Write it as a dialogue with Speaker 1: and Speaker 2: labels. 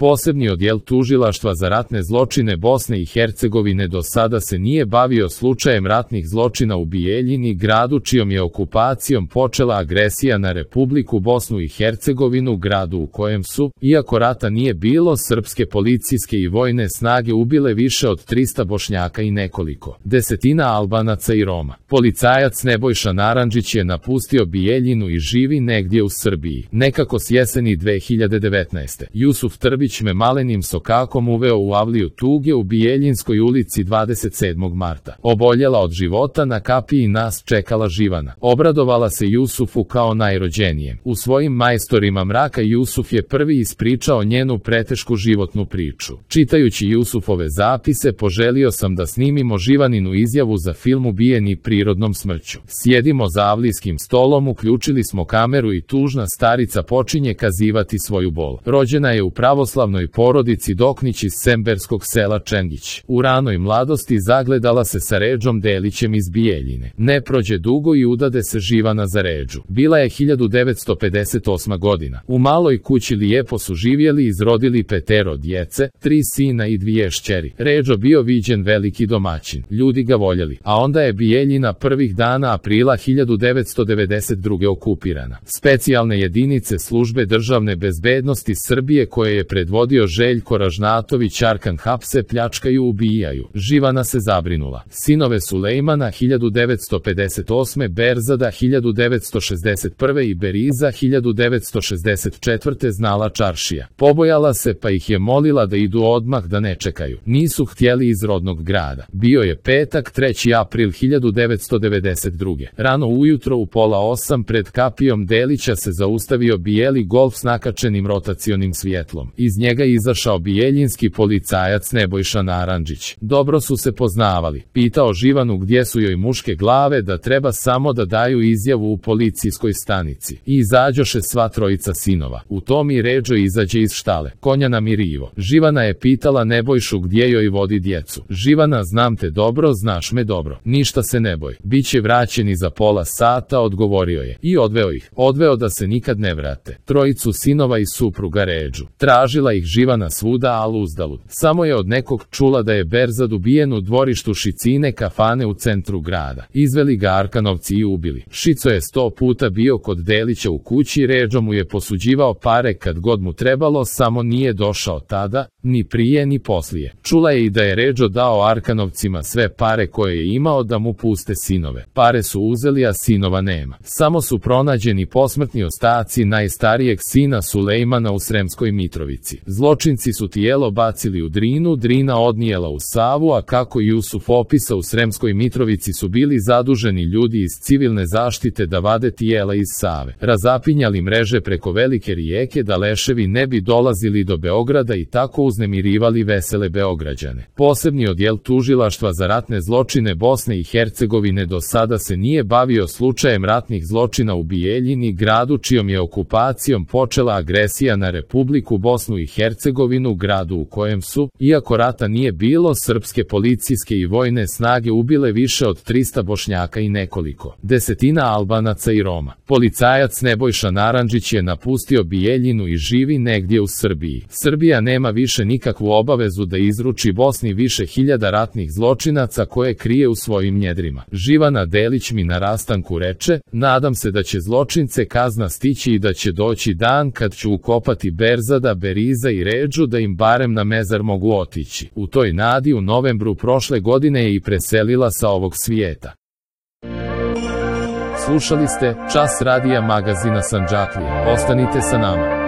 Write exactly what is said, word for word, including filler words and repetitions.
Speaker 1: Posebni odjel tužilaštva za ratne zločine Bosne i Hercegovine do sada se nije bavio slučajem ratnih zločina u Bijeljini, gradu čijom je okupacijom počela agresija na Republiku Bosnu i Hercegovinu, gradu u kojem su, iako rata nije bilo, srpske policijske i vojne snage ubile više od trista Bošnjaka i nekoliko desetina Albanaca i Roma. Policajac Nebojša Narandžić je napustio Bijeljinu i živi negdje u Srbiji. Nekako s jeseni dve hiljade devetnaeste. Jusuf Trbić me malenim sokakom uveo u avliju tuge u Bijeljinskoj ulici dvadeset sedmog marta. Oboljela od života, na kapiji nas čekala Živana. Obradovala se Jusufu kao najrođenijem. U svojim majstorima mraka Jusuf je prvi ispričao njenu pretešku životnu priču. Čitajući Jusufove zapise poželio sam da snimimo Živaninu izjavu za film Ubijeni prirodnom smrću. Sjedimo za avlijskim stolom, uključili smo kameru i tužna starica počinje kazivati svoju bol. Rođena je u pravoslavnoj porodici Doknić iz semberskog sela Čengić. U ranoj mladosti zagledala se sa Redžom Delićem iz Bijeljine. Ne prođe dugo i udade se Živana za Redžu. Bila je hiljadu devetsto pedeset osma godina. U maloj kući lijepo su živjeli i izrodili petero djece, tri sina i dvije šćeri. Redžo bio viđen veliki domaćin. Ljudi ga voljeli. A onda je Bijeljina prvih dana aprila hiljadu devetsto devedeset druge okupirana. Specijalne jedinice službe državne bezbednosti Srbije koje je predvodio Željko Ražnatović Arkan hapse, pljačkaju, ubijaju. Živana se zabrinula. Sinove Sulejmana hiljadu devetsto pedeset osme, Berzada hiljadu devetsto šezdeset prve i Beriza hiljadu devetsto šezdeset četvrte znala čaršija. Pobojala se pa ih je molila da idu odmah, da ne čekaju. Nisu htjeli iz rodnog grada. Bio je petak, treći april hiljadu devetsto devedeset druge. Rano ujutro u pola osam pred kapijom Delića se zaustavio bijeli Golf s nakačenim rotacionim svjetlom. Iz njega izašao bijeljinski policajac Nebojša Narandžić. Dobro su se poznavali. Pitao Živanu gdje su joj muške glave, da treba samo da daju izjavu u policijskoj stanici. I izađoše sva trojica sinova. U tom i Redžo izađe iz štale. Konja namirivo. Živana je pitala Nebojšu gdje joj vodi djecu. Živana: znam te dobro, znaš me dobro. Ništa se ne boj. Biće vraćeni za pola sata, odgovorio je. I odveo ih. Odveo da se nikad ne vrate. Trojicu sinova i supruga Redžu. Tražila ih Živana svuda, al uzdalud. Samo je od nekog čula da je Berzad ubijen u dvorištu Šicine kafane u centru grada. Izveli ga Arkanovci i ubili. Šico je sto puta bio kod Delića u kući, Redžo mu je posuđivao pare kad god mu trebalo, samo nije došao tada, ni prije ni poslije. Čula je i da je Redžo dao Arkanovcima sve pare koje je imao da mu puste sinove. Pare su uzeli, a sinova nema. Samo su pronađeni posmrtni ostaci najstarijeg sina Sulejmana u Sremskoj Mitrovici. Zločinci su tijelo bacili u Drinu, Drina odnijela u Savu, a kako Jusuf opisa, u Sremskoj Mitrovici su bili zaduženi ljudi iz civilne zaštite da vade tijela iz Save. Razapinjali mreže preko velike rijeke da leševi ne bi dolazili do Beograda i tako uznemirivali vesele Beograđane. Posebni odjel tužilaštva za ratne zločine Bosne i Hercegovine do sada se nije bavio slučajem ratnih zločina u Bijeljini, gradu čijom je okupacijom počela agresija na Republiku Bosnu i Hercegovinu, gradu u kojem su, iako rata nije bilo, srpske policijske i vojne snage ubile više od trista Bošnjaka i nekoliko desetina Albanaca i Roma. Policajac Nebojša Narandžić je napustio Bijeljinu i živi negdje u Srbiji. Srbija nema više nikakvu obavezu da izruči Bosni više hiljada ratnih zločinaca koje krije u svojim njedrima. Živana Delić mi na rastanku reče: nadam se da će zločince kazna stići i da će doći dan kad ću ukopati Berzada, Beriza i Redžu, da im barem na mezar mogu otići. U toj nadi u novembru prošle godine je i preselila sa ovog svijeta. Slušali ste Čas radija magazina Sandžaklija. Ostanite sa nama.